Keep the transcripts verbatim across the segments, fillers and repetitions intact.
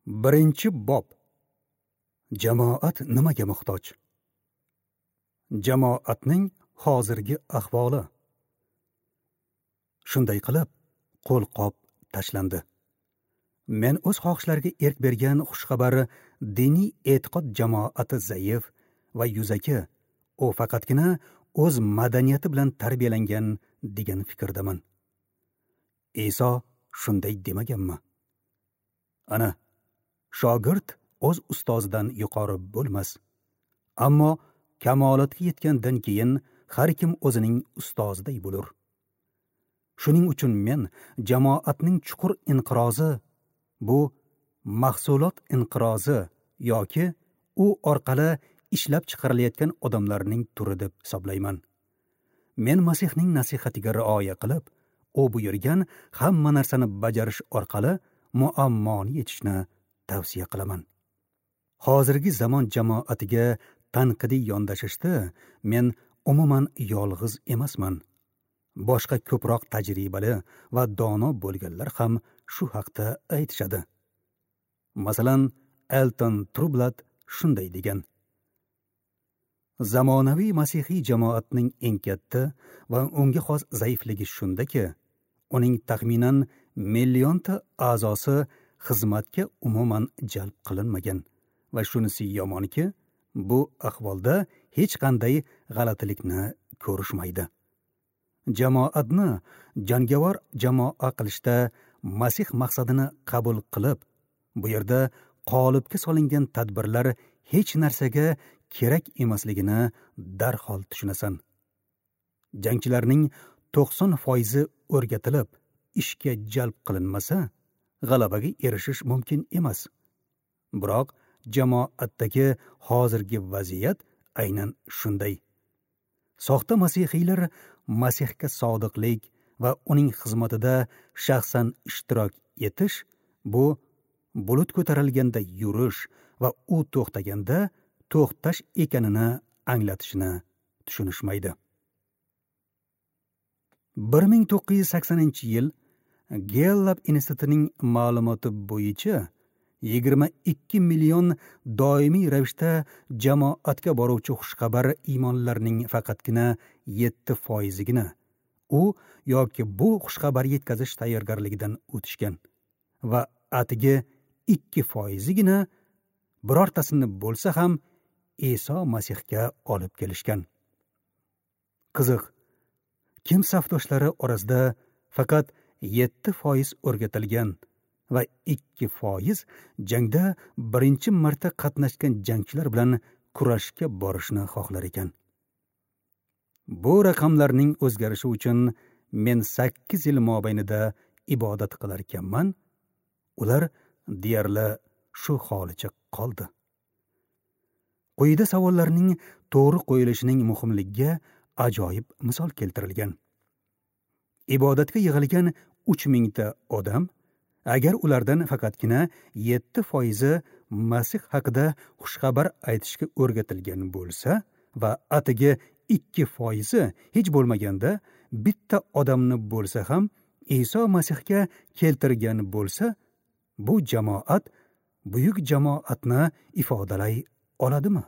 Birinchi bob. Jamoat nimaga muhtoj? Jamoatning hozirgi ahvoli. Shunday qilib, qo'lqop tashlandi. Men o'z xohishlariga erk bergan xushxabar diniy e'tiqod jamoati zaif va yuzaki, u faqatgina o'z madaniyati bilan tarbiyalangan degan fikrdaman. Iso shunday demaganmi? Ana, shogird o'z ustozidan yuqori bo'lmas. Ammo kamolatga yetgandan keyin har kim o'zining ustoziday bo'lur. Shuning uchun men jamoatning chuqur inqirozi, bu mahsulot inqirozi yoki u orqali ishlab chiqarilayotgan odamlarning turi deb hisoblayman. Men Masihning nasihatiga rioya qilib, u buyurgan hamma narsani bajarish orqali muammoni yechishni tavsiya qilaman. Hozirgi zamon jamoatiga tanqidiy yondashishda men umuman yolg'iz emasman. Boshqa ko'proq tajribali va dono bo'lganlar ham shu haqda aytishadi. Masalan, Elton Trublat shunday degan: zamonaviy masihiy jamoatning eng katta va unga xos zaifligi shundaki, uning taxminan millionta a'zosi xizmatga umuman jalb qilinmagan va shunisi yomonki, bu ahvolda hech qanday g'alatilikni ko'rishmaydi. Jamoatni jangovar jamoa qilishda Masih maqsadini qabul qilib, bu yerda qolipga solingan tadbirlar hech narsaga kerak emasligini darhol tushunasan. Jangchilarning to'qson foizi o'rgatilib, ishga jalb qilinmasa, g'alabaga erishish mumkin emas. Biroq jamoatdagi hozirgi vaziyat aynan shunday. Soxta masihiylar Masihga sodiqlik va uning xizmatida shaxsan ishtirok etish, bu bulut ko'tarilganda yurish va u to'xtaganda to'xtash ekanini anglatishini tushunishmaydi. bir ming to'qqiz yuz saksoninchi yil Gallup institutining ma'lumoti bo'yicha yigirma ikki million doimiy ravishda jamoatga boruvchi xushxabar iymonlarning faqatgina yetti foizigina u yoki bu xushxabar yetkazish tayyorgarligidan o'tishgan va atigi ikki foizigina birortasini bo'lsa ham Iso Masihga olib kelishgan. Qiziq, kim safdoshlari orasida faqat yetti foiz o'rgatilgan va ikki foiz jangda birinchi marta qatnashgan jangchilar bilan kurashga borishni xohlar ekan. Bu raqamlarning o'zgarishi uchun men sakkiz yil mobaynida ibodat qilar ekanman, ular deyarli shu holicha qoldi. Quyida savollarning to'g'ri qo'yilishining muhimligiga ajoyib misol keltirilgan. Ibodatga yig'ilgan uch mingta odam, agar ulardan faqatgina yetti foizi Masih haqida xushxabar aytishga o'rgatilgan bo'lsa va atigi ikki foizi hech bo'lmaganda bitta odamni bo'lsa ham Iso Masihga keltirgan bo'lsa, bu jamoat buyuk jamoatni ifodalay oladimi?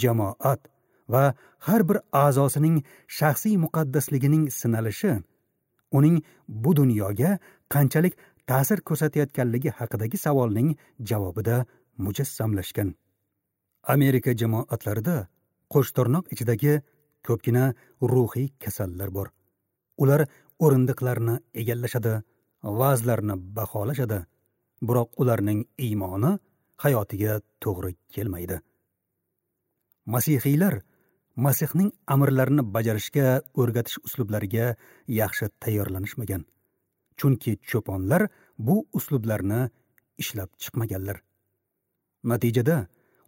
Jamoat va har bir a'zosining shaxsiy muqaddasligining sinalishi uning bu dunyoga qanchalik ta'sir ko'rsatayotganligi haqidagi savolning javobida mujassamlashgan. Amerika jamoatlarida qo'shtirnoq ichidagi ko'pgina ruhiy kasallar bor. Ular o'rindiqlarni egallashadi, va'zlarni baholashadi, biroq ularning iymoni hayotiga to'g'ri kelmaydi. Masihiylar Masihning amrlarini bajarishga o'rgatish uslublariga yaxshi tayyorlanishmagan. Chunki cho'ponlar bu uslublarni ishlab chiqmaganlar. Natijada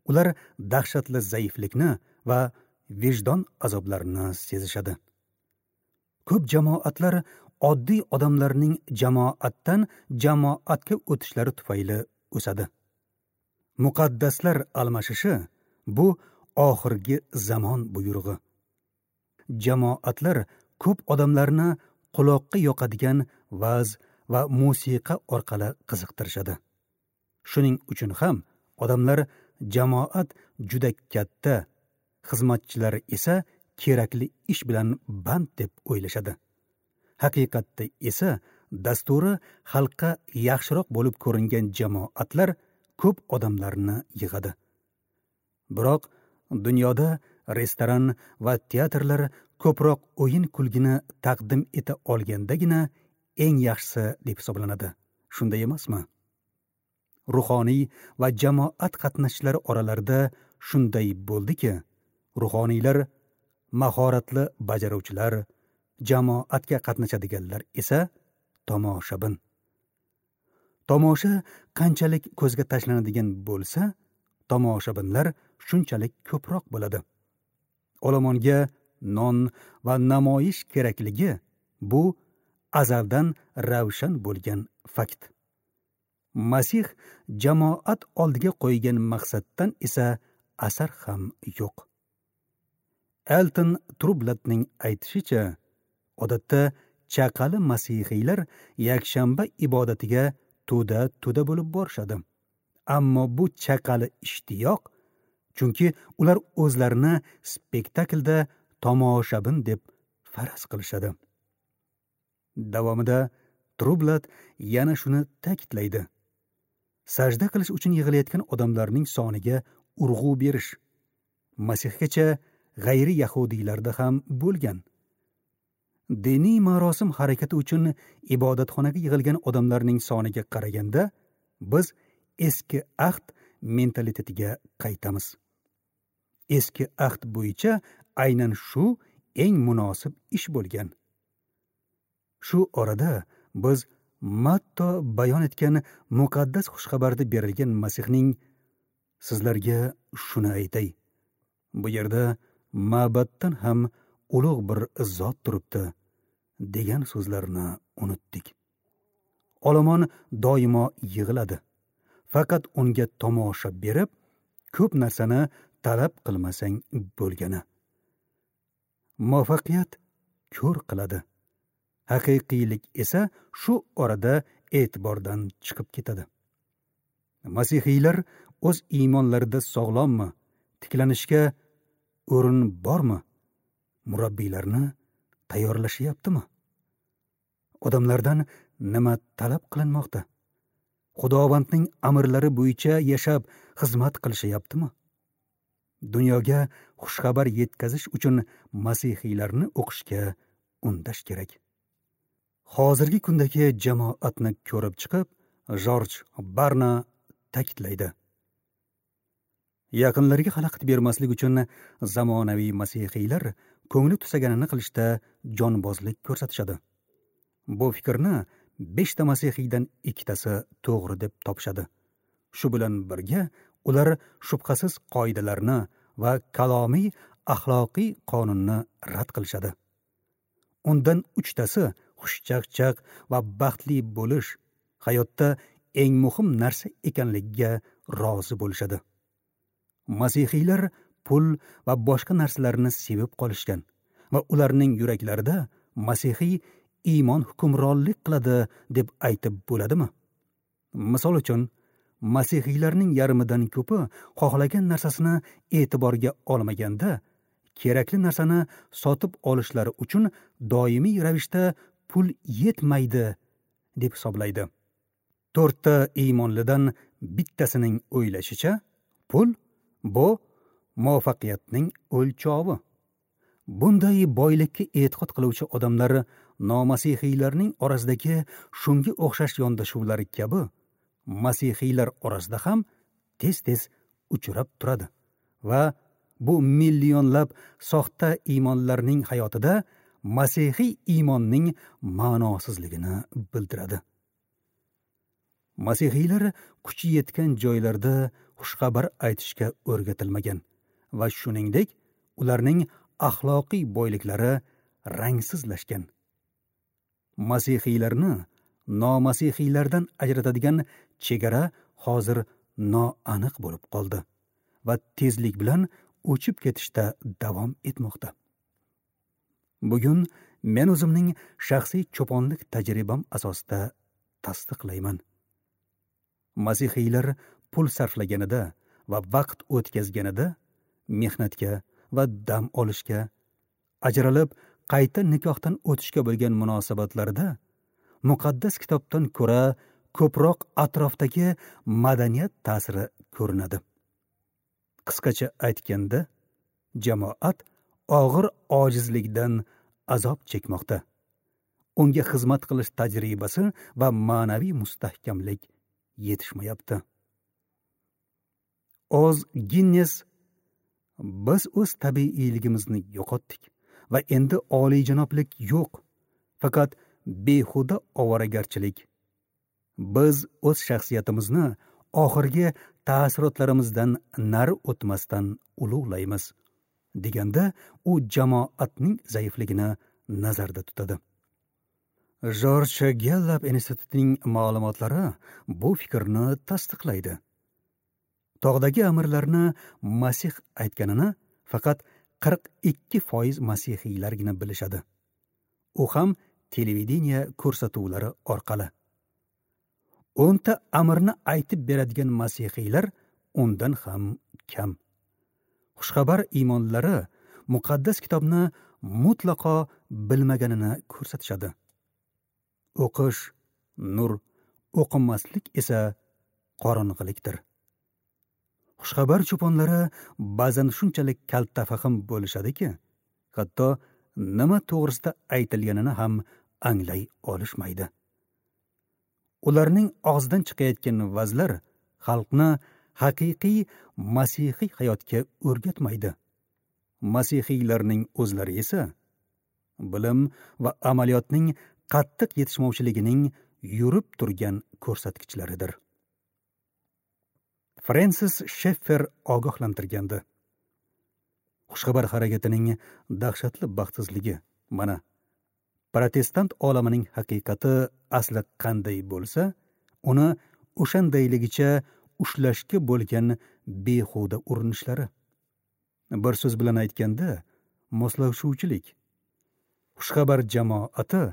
ular dahshatli zaiflikni va vijdon azoblarini sezishadi. Ko'p jamoatlar oddiy odamlarning jamoatdan jamoatga o'tishlari tufayli o'sadi. Muqaddaslar almashishi bu oxirgi zamon buyrug'i. Jamoatlar ko'p odamlarni quloqqa yoqadigan va'z va musiqa orqali qiziqtirishadi. Shuning uchun ham odamlar jamoat juda katta, xizmatchilar esa kerakli ish bilan band deb o'ylashadi. Haqiqatda esa dasturi xalqqa yaxshiroq bo'lib ko'ringan jamoatlar ko'p odamlarni yig'adi. Biroq dunyoda restoran va teatrlar ko'proq o'yin kulgini taqdim eta olgandagina eng yaxshisi deb hisoblanadi. Shunday emasmi? Ruhoniy va jamoat qatnashchilari oralarida shunday bo'ldiki, ruhoniylar mahoratli bajaruvchilar, jamoatga qatnashadiganlar esa tomoshabin. Tomosha qanchalik ko'zga tashlanadigan bo'lsa, tomoshabinlar shunchalik ko'proq bo'ladi. Olomonga non va namoyish kerakligi bu azaldan ravshan bo'lgan fakt. Masih jamoat oldiga qo'ygan maqsaddan esa asar ham yo'q. Elton Trublatning aytishicha, odatda chaqali masihiylar yakshanba ibodatiga to'da-to'da bo'lib borishadi. Ammo bu chaqali ishtiyoq, chunki ular o'zlarini spektaklda tomoshabin deb faraz qilishadi. Davomida Trublat yana shuni ta'kidlaydi. Sajda qilish uchun yig'ilayotgan odamlarning soniga urg'u berish Masihgacha g'ayri yahudiylarda ham bo'lgan. Diniy marosim harakati uchun ibodatxonaga yig'ilgan odamlarning soniga qaraganda biz eski ahd mentalitetiga qaytamiz. Eski ahd bo'yicha aynan shu eng munosib ish bo'lgan. Shu orada biz Matto bayon etgan muqaddas xushxabarda berilgan Masihning sizlarga shuni aytay. Bu yerda ma'batdan ham ulug' bir zot turibdi degan so'zlarni unutdik. Olomon doimo yig'iladi. Faqat unga tomosha berib, ko'p narsani talab qilmasang bo'lgani. Muvaffaqiyat ko'r qiladi. Haqiqiylik esa shu orada e'tibordan chiqib ketadi. Masihiylar o'z iymonlarida sog'lommi, tiklanishga o'rin bormi? Murabbiylarni tayyorlashyaptimi? Odamlardan nima talab qilinmoqda? Xudovandning amrlari bo'yicha yashab xizmat qilishyaptimi? Dunyoga xushxabar yetkazish uchun masihiylarni o'qishga undash kerak. Hozirgi kundagi jamoatni ko'rib chiqib, Jorj Barna ta'kidlaydi. Yaqinlarga xalaqit bermaslik uchun zamonaviy masihiylar ko'ngli tusaganini qilishda jonbozlik ko'rsatishadi. Bu fikrni beshta masihiydan ikkitasi to'g'ri deb topishadi. Shu bilan birga ular shubhasiz qoidalarni va kalomiy axloqiy qonunni rad qilishadi. Undan uchtasi xushchaqchaq va baxtli bo'lish hayotda eng muhim narsa ekanligiga rozi bo'lishadi. Masihiylar pul va boshqa narsalarni sevib qolishgan va ularning yuraklarida masihiy iymon hukmronlik qiladi deb aytib bo'ladimi? Misol uchun, masihiylarning yarmidan ko'pi xohlagan narsasini e'tiborga olmaganda, kerakli narsani sotib olishlari uchun doimiy ravishda pul yetmaydi deb hisoblaydi. To'rtta iymonlidan bittasining o'ylashicha, pul bu muvaffaqiyatning o'lchovi. Bunday boylikka e'tiqod qiluvchi odamlar nomasihiylarning orasidagi shunga o'xshash yondashuvlar kabi masihiylar orasida ham tez-tez uchrab turadi va bu millionlab soxta iymonlarning hayotida masihiy iymonning ma'nosizligini bildiradi. Masihiylar kuchi yetgan joylarda xushxabar aytishga o'rgatilmagan va shuningdek ularning axloqiy boyliklari rangsizlashgan. Masihiylarni nomasihiylardan ajratadigan chegara hozir noaniq bo'lib qoldi va tezlik bilan o'chib ketishda davom etmoqda. Bugun men o'zimning shaxsiy cho'ponlik tajribam asosida tasdiqlayman. Masihiylar pul sarflaganida va vaqt o'tkazganida mehnatga va dam olishga, ajralib qayta nikohdan o'tishga bo'lgan munosabatlarda muqaddas kitobdan ko'ra ko'proq atrofdagi madaniyat ta'siri ko'rinadi. Qisqacha aytganda, jamoat og'ir ojizlikdan azob chekmoqda. Unga xizmat qilish tajribasi va ma'naviy mustahkamlik yetishmayapti. Oz Ginnes: biz o'z tabiiyligimizni yo'qotdik va endi oliyjanoblik yo'q, faqat behuda ovoragarchilik. Biz o'z shaxsiyatimizni oxirgi ta'sirotlarimizdan nari o'tmasdan ulug'laymiz, deganda u jamoatning zaifligini nazarda tutadi. Jorj Gellap institutining ma'lumotlari bu fikrni tasdiqlaydi. Tog'dagi amirlarni Masih aytganini faqat qirq ikki foiz masihiylargina bilishadi. U ham televideniye ko'rsatuvlari orqali. O'nta amirni aytib beradigan masihiylar undan ham kam. Xushxabar iymonlari muqaddas kitobni mutlaqo bilmaganini ko'rsatishadi. O'qish nur, o'qimaslik esa qorong'ilikdir. Xushxabar cho'ponlari ba'zan shunchalik kaltafahm bo'lishadiki, hatto nima to'g'risida aytilganini ham anglay olishmaydi. Ularning og'zidan chiqayotgan vazlar xalqni haqiqiy masihiy hayotga o'rgatmaydi. Masihiylarning o'zlari esa bilim va amaliyotning qattiq yetishmovchiligining yurib turgan ko'rsatkichlaridir. Frensis Sheffer ogohlantirgandi. Xushxabar harakatining dahshatli baxtsizligi mana protestant olamining haqiqati asli qanday bo'lsa, uni o'shandayligicha ushlashga bo'lgan behuda urinishlari. Bir so'z bilan aytganda, moslashuvchilik. Xushxabar jamoati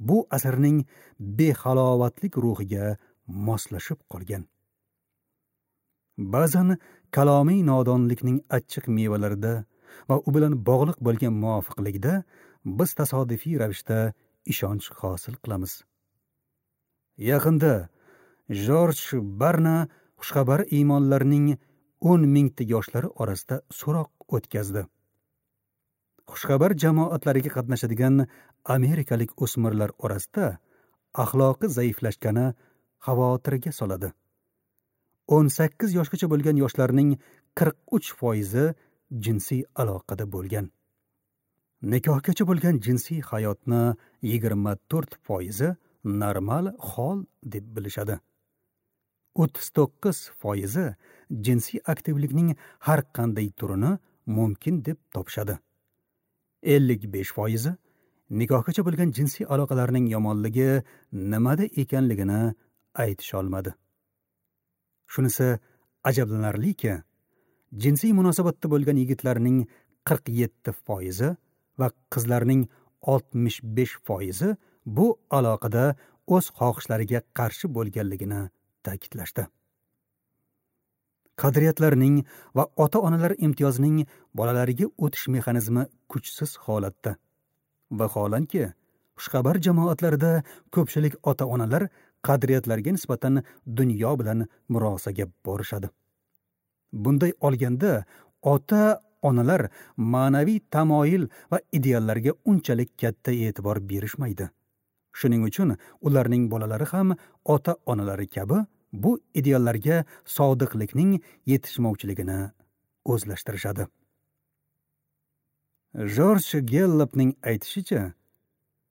bu asrning behalovatlik ruhiga moslashib qolgan. Ba'zan kalomiy nodonlikning achchiq mevalarida va u bilan bog'liq bo'lgan muvofiqlikda biz tasodifiy ravishda ishonch hosil qilamiz. Yaqinda Jorj Barna xushxabar iymonlarning o'n mingta yoshlari orasida so'roq o'tkazdi. Xushxabar jamoatlariga qatnashadigan amerikalik o'smirlar orasida axloqi zaiflashgani xavotirga soladi. o'n sakkiz yoshgacha bo'lgan yoshlarning qirq uch foizi jinsiy aloqada bo'lgan. Nikohgacha bo'lgan jinsiy hayotni yigirma to'rt foizi normal hol deb bilishadi. o'ttiz to'qqiz foizi jinsiy aktivlikning har qanday turini mumkin deb topishadi. ellik besh foizi nikohgacha bo'lgan jinsiy aloqalarning yomonligi nimada ekanligini aytisha olmadi. Shunisi ajablanarliki, jinsiy munosabatda bo'lgan yigitlarning qirq yetti foizi va qizlarning oltmish besh foizi bu aloqada o'z xohishlariga qarshi bo'lganligini ta'kidlashdi. Qadriyatlarning va ota-onalar imtiyozining bolalariga o'tish mexanizmi kuchsiz holatda. Vaholanki, xushxabar jamoatlarida ko'pchilik ota-onalar qadriyatlarga nisbatan dunyo bilan murosaga borishadi. Bunday olganda ota-onalar ma'naviy tamoyil va ideallarga unchalik katta e'tibor berishmaydi. Shuning uchun ularning bolalari ham ota-onalari kabi bu ideallarga sodiqlikning yetishmovchiligini o'zlashtirishadi. Jorj Gellopning aytishicha,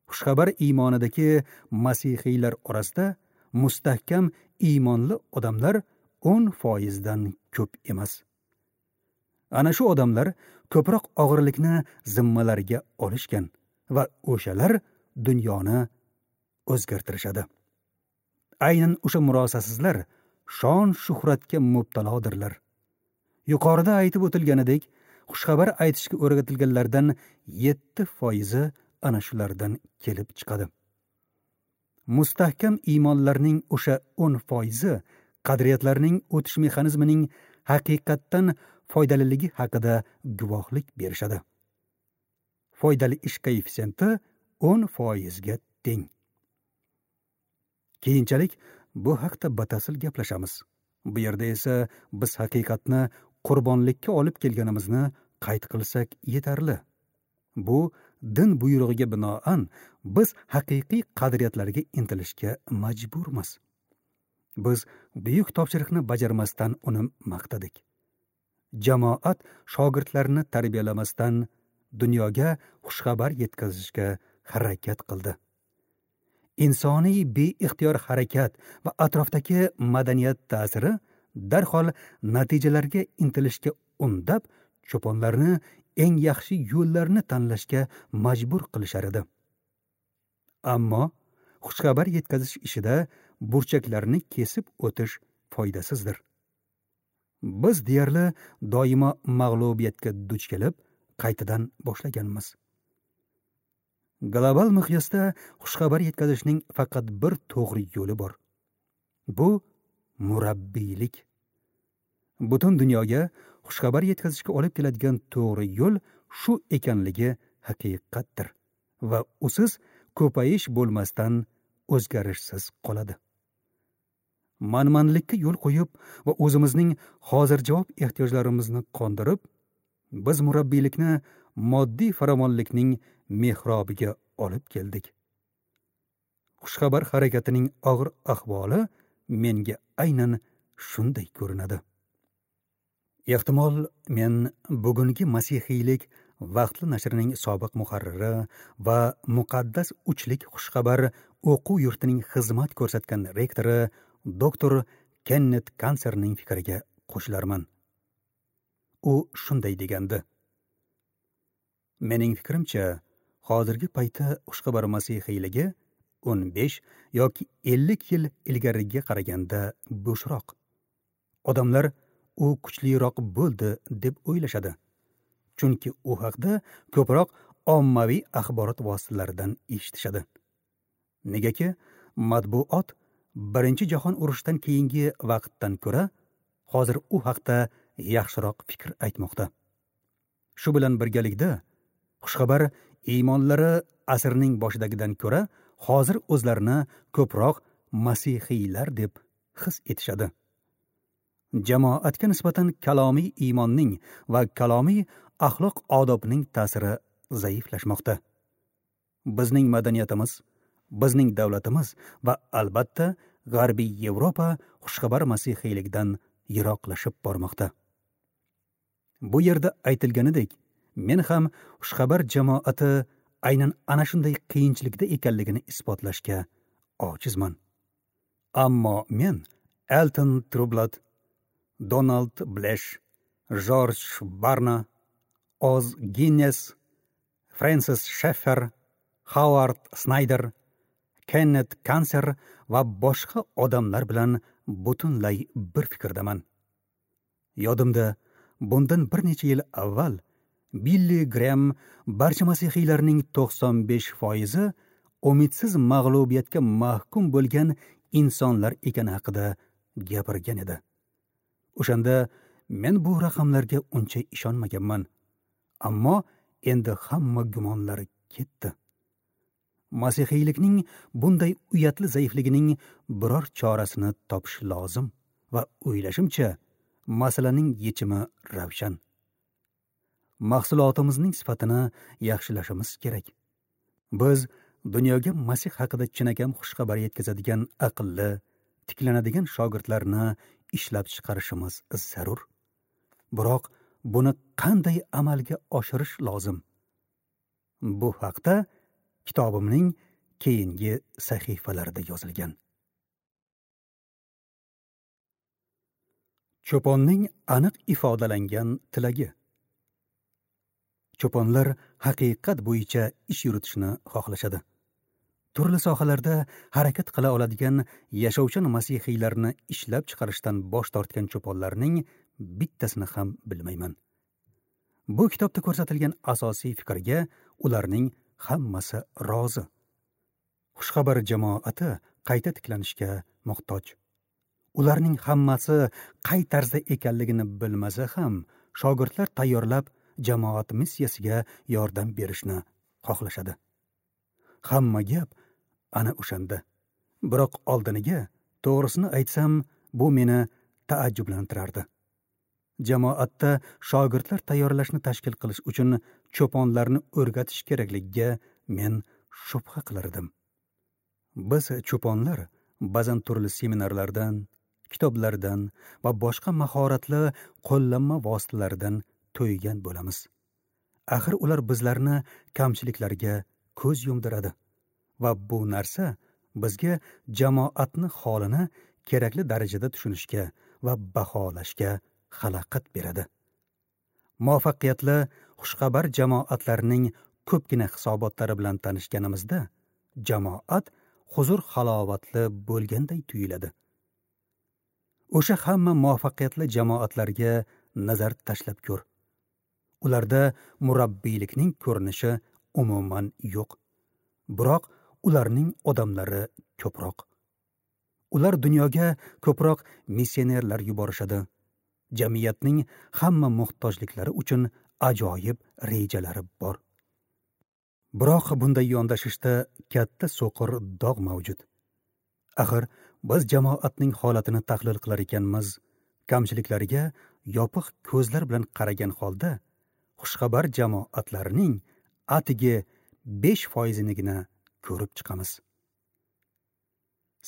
xushxabar iymonidagi masihiylar orasida mustahkam iymonli odamlar o'n foizdan ko'p emas. Ana shu odamlar ko'proq og'irlikni zimmalariga olishgan va o'shalar dunyoni o'zgartirishadi. Aynan o'sha murosasizlar shon shuhratga mubtalodirlar. Yuqorida aytib o'tilganidek, xushxabar aytishga o'rgatilganlardan yetti foizi ana shulardan kelib chiqadi. Mustahkam iymonlarning o'sha o'n foizi qadriyatlarning o'tish mexanizmining haqiqatdan foydaliligi haqida guvohlik berishadi. Foydali ish koeffitsiyenti o'n foizga teng. Keyinchalik bu haqda batafsil gaplashamiz. Bu yerda esa biz haqiqatni qurbonlikka olib kelganimizni qayd qilsak yetarli. Bu din buyrug'iga binoan biz haqiqiy qadriyatlarga intilishga majburmiz. Biz buyuk topshiriqni bajarmasdan uni maqtadik. Jamoat shogirdlarini tarbiyalamasdan dunyoga xushxabar yetkazishga harakat qildi. Insoniy beixtiyor harakat va atrofdagi madaniyat ta'siri darhol natijalarga intilishga undab, cho'ponlarni eng yaxshi yo'llarni tanlashga majbur qilishar edi. Ammo xushxabar yetkazish ishida burchaklarni kesib o'tish foydasizdir. Biz deyarli doimo mag'lubiyatga duch kelib, qaytadan boshlaganmiz. Global miqyosda xushxabar yetkazishning faqat bir to'g'ri yo'li bor. Bu murabbiylik. Butun dunyoga xushxabar yetkazishga olib keladigan to'g'ri yo'l shu ekanligi haqiqatdir va usiz ko'payish bo'lmasdan o'zgarishsiz qoladi. Manmanlikka yo'l qo'yib va o'zimizning hozirjavob ehtiyojlarimizni qondirib, biz murabbiylikni moddiy farovonlikning mehrobiga olib keldik. Xushxabar harakatining og'ir ahvoli menga aynan shunday ko'rinadi. Ehtimol men bugungi masihiylik vaqtli nashrining sobiq muharriri va muqaddas uchlik xushxabar o'quv yurtining xizmat ko'rsatgan rektori doktor Kennet Kanserning fikriga qo'shilarman. U shunday degandi: Mening fikrimcha, hozirgi paytda xushxabar masihiyligi o'n besh yoki ellik yil ilgariga qaraganda bo'shroq. Odamlar u kuchliroq bo'ldi deb o'ylashadi. Chunki u haqda ko'proq ommaviy axborot vositalaridan eshitishadi. Negaki matbuot Birinchi jahon urushidan keyingi vaqtdan ko'ra hozir u haqda yaxshiroq fikr aytmoqda. Shu bilan birgalikda xushxabar iymonlari asrning boshidagidan ko'ra hozir o'zlarini ko'proq masihiylar deb his etishadi. Jamoatga nisbatan kalomiy iymonning va kalomiy axloq odobning ta'siri zaiflashmoqda. Bizning madaniyatimiz, bizning davlatimiz va albatta G'arbiy Yevropa xushxabar masihiylikdan yiroqlashib bormoqda. Bu yerda aytilganidek, men ham xushxabar jamoati aynan ana shunday qiyinchilikda ekanligini isbotlashga ojizman. Ammo men Elton Trublot, Donald Blesh, Jorj Barna, Oz Ginnes, Francis Sheffer, Howard Snyder, Kennet Kanser va boshqa odamlar bilan butunlay bir fikrdaman. Yodimda, bundan bir necha yil avval Billi Graham barcha masihiylarning to'qson besh foizi umidsiz mag'lubiyatga mahkum bo'lgan insonlar ekani haqida gapirgan edi. O'shanda men bu raqamlarga uncha ishonmaganman. Ammo endi hamma gumonlar ketdi. Masihiylikning bunday uyatli zaifligining biror chorasini topish lozim va o'ylashimcha, masalaning yechimi ravshan. Mahsulotimizning sifatini yaxshilashimiz kerak. Biz dunyoga Masih haqida chinakam xushxabar yetkazadigan aqlli, tiklanadigan shogirdlarni ishlab chiqarishimiz zarur. Biroq buni qanday amalga oshirish lozim? Bu haqda kitobimning keyingi sahifalarida yozilgan. Cho'ponning aniq ifodalangan tilagi. Cho'ponlar haqiqat bo'yicha ish yuritishni xohlashadi. Turli sohalarda harakat qila oladigan yashovchan masihiylarni ishlab chiqarishdan bosh tortgan cho'ponlarning bittasini ham bilmayman. Bu kitobda ko'rsatilgan asosiy fikrga ularning hammasi rozi. Xushxabar jamoati qayta tiklanishga muhtoj. Ularning hammasi qay tarzda ekanligini bilmasa ham, shogirdlar tayyorlab jamoat missiyasiga yordam berishni xohlashadi. Hamma gap ana o'shanda. Biroq oldiniga, to'g'risini aytsam, bu meni taajjublantirardi. Jamoatda shogirdlar tayyorlashni tashkil qilish uchun cho'ponlarni o'rgatish kerakligiga men shubha qilardim. Biz cho'ponlar ba'zan turli seminarlardan, kitoblardan va boshqa mahoratli qo'llanma vositalaridan to'ygan bo'lamiz. Axir ular bizlarni kamchiliklarga ko'z yumdiradi va bu narsa bizga jamoatni holini kerakli darajada tushunishga va baholashga xalaqit beradi. Muvaffaqiyatli xushxabar jamoatlarning ko'pgina hisobotlari bilan tanishganimizda jamoat huzur halovatli bo'lganday tuyuladi. O'sha hamma muvaffaqiyatli jamoatlarga nazar tashlab ko'r. Ularda murabbiylikning ko'rinishi umuman yo'q. Biroq ularning odamlari ko'proq. Ular dunyoga ko'proq missionerlar yuborishadi. Jamiyatning hamma muhtojliklari uchun ajoyib rejalari bor. Biroq bunday yondashishda katta so'qir dog' mavjud. Axir biz jamoatning holatini tahlil qilar ekanmiz, kamchiliklariga yopiq ko'zlar bilan qaragan holda xushxabar jamoatlarining atigi besh foizinigina ko'rib chiqamiz.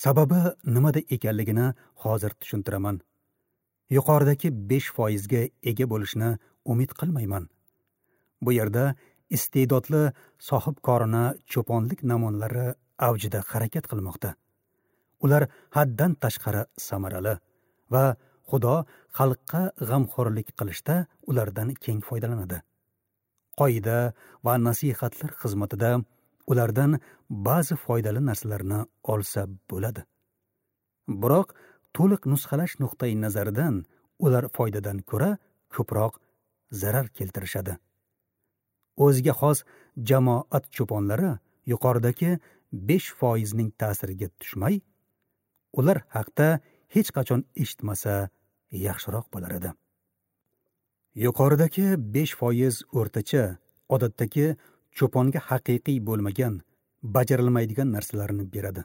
Sababi nimada ekanligini hozir tushuntiraman. Yuqoridagi besh foizga ega bo'lishni umid qilmayman. Bu yerda iste'dodli sohibkorona cho'ponlik namunalari avjida harakat qilmoqda. Ular haddan tashqari samarali va Xudo xalqqa g'amxo'rlik qilishda ulardan keng foydalanadi. Qoida va nasihatlar xizmatida ulardan ba'zi foydali narsalarni olsa bo'ladi. Biroq to'liq nusxalash nuqtai nazaridan ular foydadan ko'ra ko'proq zarar keltirishadi. O'ziga xos jamoat cho'ponlari yuqoridagi besh foizning ta'siriga tushmay, ular haqda hech qachon eshitmasa yaxshiroq bo'lar edi. Yuqoridagi besh foiz o'rtacha, odatdagi cho'ponga haqiqiy bo'lmagan, bajarilmaydigan narsalarni beradi.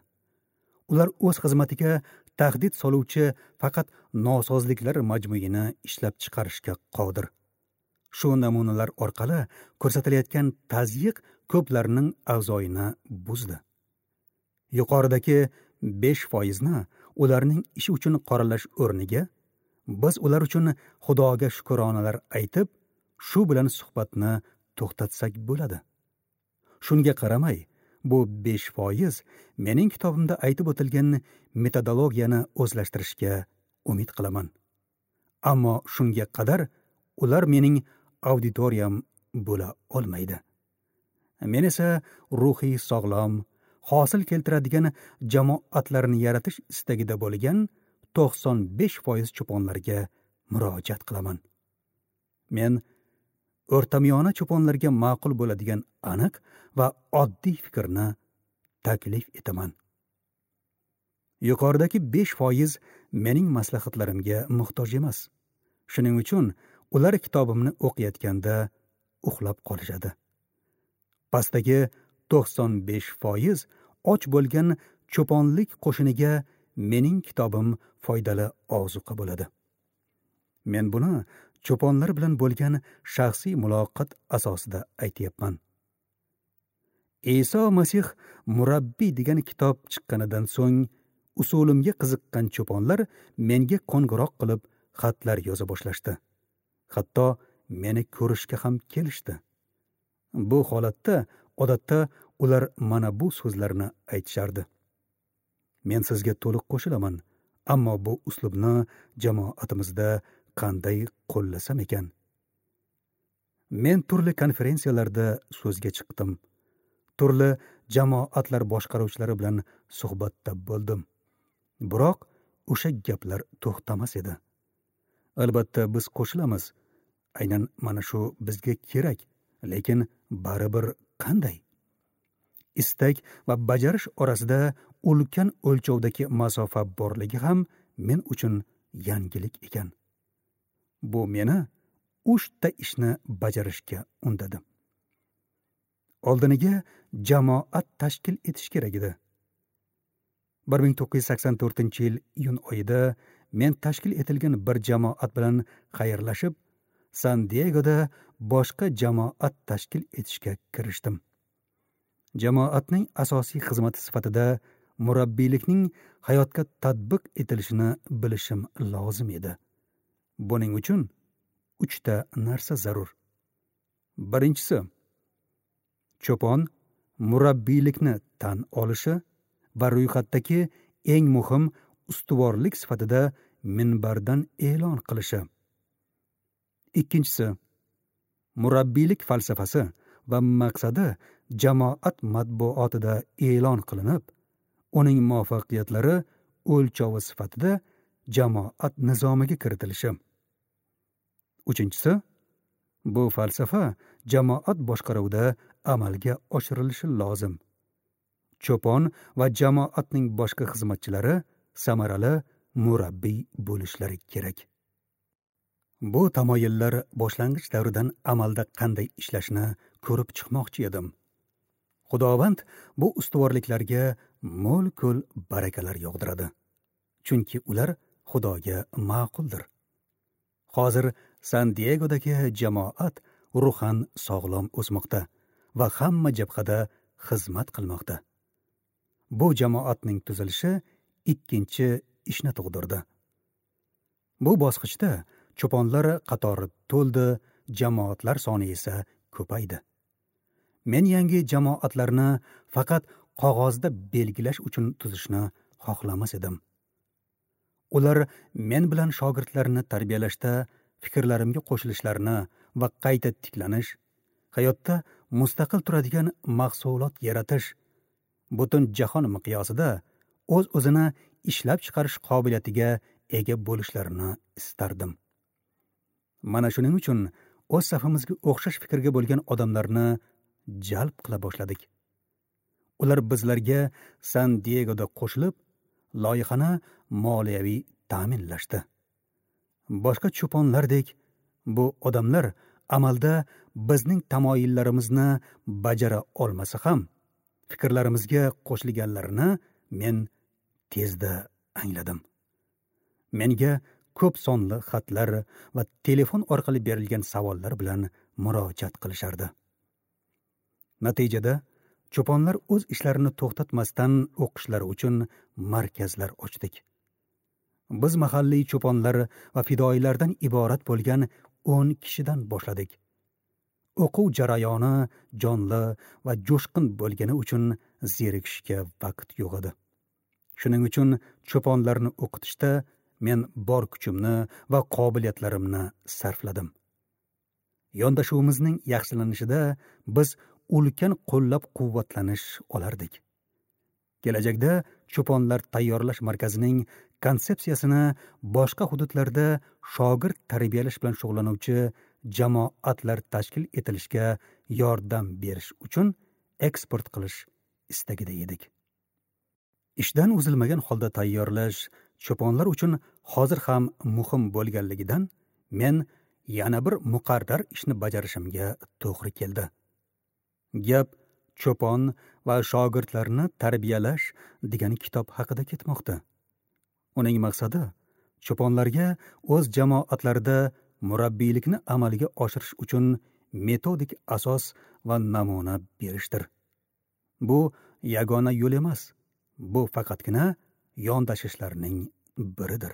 Ular o'z xizmatiga tahdid soluvchi faqat nosozliklar majmuini ishlab chiqarishga qodir. Shu namunalar orqali ko'rsatilayotgan tazyiq ko'plarning avzoyini buzdi. Yuqoridagi besh foizni ularning ishi uchun qoralash o'rniga biz ular uchun Xudoga shukronalar aytib, shu bilan suhbatni to'xtatsak bo'ladi. Shunga qaramay, bu besh foiz mening kitobimda aytib o'tilgan metodologiyani o'zlashtirishga umid qilaman. Ammo shunga qadar ular mening auditoriyam bo'la olmaydi. Men esa ruhiy sog'lom, hosil keltiradigan jamoatlarni yaratish istagida bo'lgan to'qson besh foiz cho'ponlarga murojaat qilaman. Men o'rtamiyona cho'ponlarga ma'qul bo'ladigan aniq va oddiy fikrni taklif etaman. Yuqoridagi besh foiz mening maslahatlarimga muhtoj emas. Shuning uchun ular kitobimni o'qiyotganda uxlab qolishadi. Pastdagi to'qson besh foiz och bo'lgan cho'ponlik qo'shiniga mening kitobim foydali ozuqa bo'ladi. Men buni cho'ponlar bilan bo'lgan shaxsiy muloqot asosida aytyapman. Iso Masih murabbiy degan kitob chiqqanidan so'ng usulimga qiziqqan cho'ponlar menga qo'ng'iroq qilib xatlar yoza boshlashdi. Hatto meni ko'rishga ham kelishdi. Bu holatda odatda ular mana bu so'zlarni aytishardi. Men sizga to'liq qo'shilaman, ammo bu uslubni jamoatimizda qanday qo'llasam ekan? Men turli konferensiyalarda so'zga chiqdim. Turli jamoatlar boshqaruvchilari bilan suhbatda bo'ldim. Biroq o'sha gaplar to'xtamas edi. Albatta biz qo'shilamiz. Aynan mana shu bizga kerak, lekin baribir qanday? Istak va bajarish orasida ulkan o'lchovdagi masofa borligi ham men uchun yangilik ekan. Bu meni uchta ishni bajarishga undadi. Oldiniga jamoat tashkil etish kerak edi. bir ming to'qqiz yuz sakson to'rtinchi yil iyun oyida men tashkil etilgan bir jamoat bilan xayrlashib, San Diegoda boshqa jamoat tashkil etishga kirishdim. Jamoatning asosiy xizmati sifatida murabbiylikning hayotga tatbiq etilishini bilishim lozim edi. Buning uchun uchta narsa zarur. Birinchisi, cho'pon murabbiylikni tan olishi va ro'yxatdagi eng muhim ustuvorlik sifatida minbardan e'lon qilishi. Ikkinchisi, murabbiylik falsafasi va maqsadi jamoat matbuotida e'lon qilinib, uning muvaffaqiyatlari o'lchovi sifatida jamoat nizomiga kiritilishi. Uchinchisi, bu falsafa jamoat boshqaruvida amalga oshirilishi lozim. Cho'pon va jamoatning boshqa xizmatchilari samarali murabbiy bo'lishlari kerak. Bu tamoyillar boshlang'ich davridan amalda qanday ishlashini ko'rib chiqmoqchi edim. Xudovand bu ustuvorliklarga mo'l-ko'l barakalar yog'diradi, chunki ular Xudoga ma'quldir. Hozir San Diegodagi jamoat ruhan sog'lom o'smoqda va hamma jabhada xizmat qilmoqda. Bu jamoatning tuzilishi ikkinchi ishni tug'dirdi. Bu bosqichda cho'ponlar qatori to'ldi, jamoatlar soni esa ko'paydi. Men yangi jamoatlarni faqat qog'ozda belgilash uchun tuzishni xohlamas edim. Ular men bilan shogirdlarni tarbiyalashda fikrlarimga qo'shilishlarini va qayta tiklanish, hayotda mustaqil turadigan mahsulot yaratish, butun jahon miqyosida o'z-o'zini ishlab chiqarish qobiliyatiga ega bo'lishlarini istardim. Mana shuning uchun o'z safimizga o'xshash fikrga bo'lgan odamlarni jalb qila boshladik. Ular bizlarga San Diegoda qo'shilib, loyihani moliyaviy ta'minlashdi. Boshqa cho'ponlardek bu odamlar amalda bizning tamoyillarimizni bajara olmasa ham, fikrlarimizga qo'shilganlarini men tezda angladim. Menga ko'p sonli xatlar va telefon orqali berilgan savollar bilan murojaat qilishardi. Natijada cho'ponlar o'z ishlarini to'xtatmasdan o'qishlari uchun markazlar ochdik. Biz mahalliy cho'ponlar va fidoyilardan iborat bo'lgan o'n kishidan boshladik. O'quv jarayoni jonli va jo'shqin bo'lgani uchun zerikishga vaqt yo'q edi. Shuning uchun cho'ponlarni o'qitishda men bor kuchimni va qobiliyatlarimni sarfladim. Yondashuvimizning yaxshilanishida biz ulkan qo'llab-quvvatlanish olardik. Kelajakda cho'ponlar tayyorlash markazining konsepsiyasini boshqa hududlarda shogird tarbiyalash bilan shug'ullanuvchi jamoatlar tashkil etilishga yordam berish uchun eksport qilish istagida edik. Ishdan uzilmagan holda tayyorlash cho'ponlar uchun hozir ham muhim bo'lganligidan men yana bir muqarrar ishni bajarishimga to'g'ri keldi. Gap cho'pon va shogirdlarni tarbiyalash degan kitob haqida ketmoqda. Uning maqsadi cho'ponlarga o'z jamoatlarida murabbiylikni amalga oshirish uchun metodik asos va namuna berishdir. Bu yagona yo'l emas, bu faqatgina yondashishlarning biridir.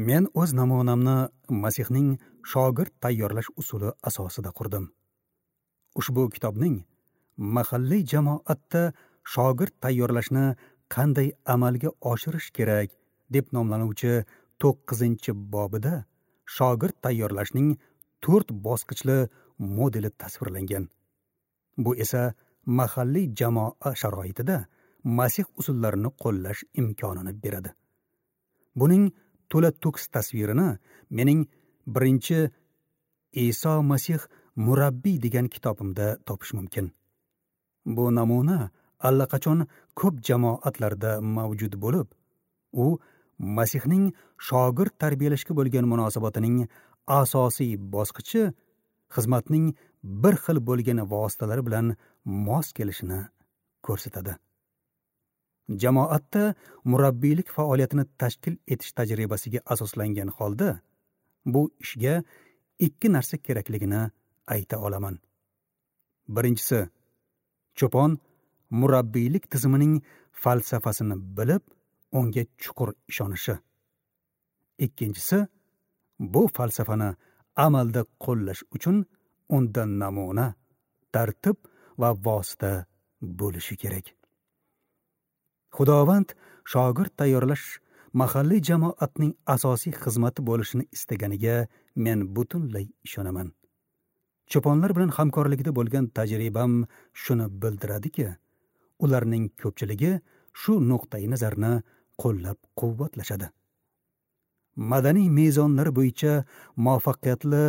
Men o'z namunamni Masihning shogird tayyorlash usuli asosida qurdim. Ushbu kitobning mahalliy jamoatda shogird tayyorlashni qanday amalga oshirish kerak deb nomlanuvchi to'qqizinchi bobida shogird tayyorlashning to'rt bosqichli modeli tasvirlangan. Bu esa mahalliy jamoa sharoitida Masih usullarini qo'llash imkonini beradi. Buning to'la to'kis tasvirini mening birinchi Iso Masih murabbiy degan kitobimda topish mumkin. Bu namuna allaqachon ko'p jamoatlarda mavjud bo'lib, u Masihning shogird tarbiyalashga bo'lgan munosabatining asosiy bosqichi xizmatning bir xil bo'lgan vositalari bilan mos kelishini ko'rsatadi. Jamoatda murabbiylik faoliyatini tashkil etish tajribasiga asoslangan holda bu ishga ikki narsa kerakligini ayta olaman. Birinchisi, cho'pon murabbiylik tizimining falsafasini bilib, unga chuqur ishonishi. Ikkinchisi, bu falsafani amalda qo'llash uchun undan namuna, tartib va vosita bo'lishi kerak. Xudovand shogird tayyorlash mahalliy jamoatning asosiy xizmati bo'lishini istaganiga men butunlay ishonaman. Cho'ponlar bilan hamkorlikda bo'lgan tajribam shuni bildiradiki, ularning ko'pchiligi shu nuqtai nazarni qo'llab-quvvatlashadi. Madaniy mezonlar bo'yicha muvaffaqiyatli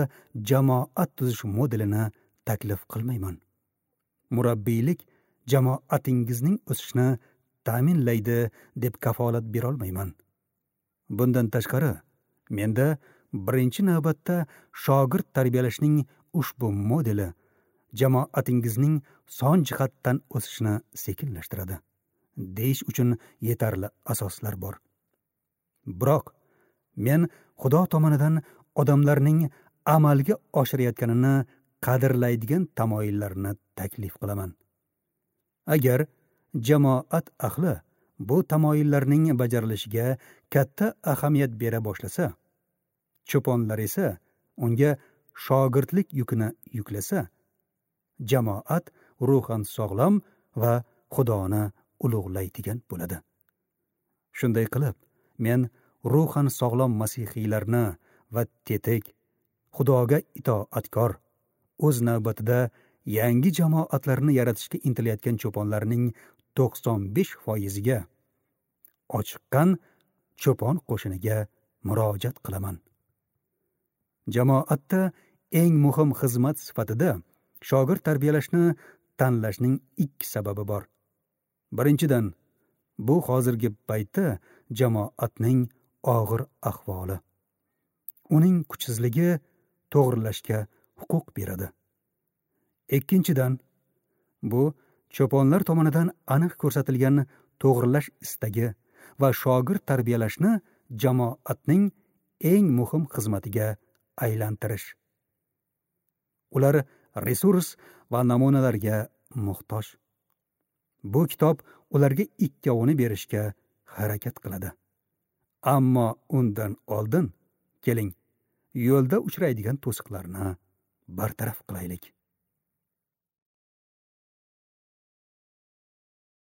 jamoat tuzish modelini taklif qilmayman. Murabbiylik jamoatingizning o'sishini ta'minlaydi deb kafolat bera olmayman. Bundan tashqari, menda birinchi navbatda shogird tarbiyalashning ushbu modeli jamoatingizning son jihatdan o'sishini sekinlashtiradi deyish uchun yetarli asoslar bor. Biroq men Xudo tomonidan odamlarning amalga oshirayotganini qadrlaydigan tamoyillarni taklif qilaman. Agar jamoat ahli bu tamoyillarning bajarilishiga katta ahamiyat bera boshlasa, cho'ponlar esa unga shogirdlik yukini yuklasa, jamoat ruhan sog'lom va Xudoni ulug'laydigan bo'ladi. Shunday qilib, men ruhan sog'lom masihiylarni va tetik, Xudoga itoatkor, o'z navbatida yangi jamoatlarni yaratishga intilayotgan cho'ponlarning to'qson besh foiziga ochiqqan cho'pon qo'shiniga murojaat qilaman. Jamoatda eng muhim xizmat sifatida shogird tarbiyalashni tanlashning ikki sababi bor. Birinchidan, bu hozirgi paytda jamoatning og'ir ahvoli. Uning kuchsizligi to'g'rilashga huquq beradi. Ikkinchidan, bu cho'ponlar tomonidan aniq ko'rsatilgan to'g'rilash istagi va shogird tarbiyalashni jamoatning eng muhim xizmatiga aylantirish. Ular resurs va namunalarga muhtoj. Bu kitob ularga ikkovini berishga harakat qiladi. Ammo undan oldin keling, yo'lda uchraydigan to'siqlarni bartaraf qilaylik.